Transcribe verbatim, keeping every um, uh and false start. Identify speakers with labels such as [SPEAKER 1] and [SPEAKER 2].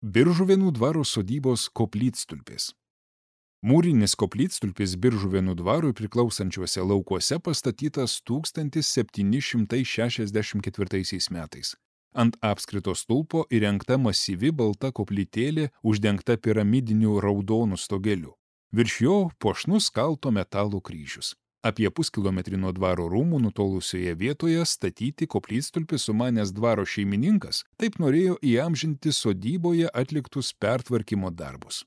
[SPEAKER 1] Biržuvėnų dvaro sodybos koplytstulpis. Mūrinis koplytstulpis Biržuvėnų dvarui priklausančiuose laukuose pastatytas tūkstantis septyni šimtai šešiasdešimt ketvirtaisiais metais. Ant apskrito stulpo įrengta masyvi balta koplytėlė uždengta piramidiniu raudonu stogeliu. Virš jo puošnus kalto metalo kryžius. Apie puskilometrį nuo dvaro rūmų nutolusioje vietoje statyti koplytstulpį sumanęs dvaro šeimininkas taip norėjo įamžinti sodyboje atliktus pertvarkymo darbus.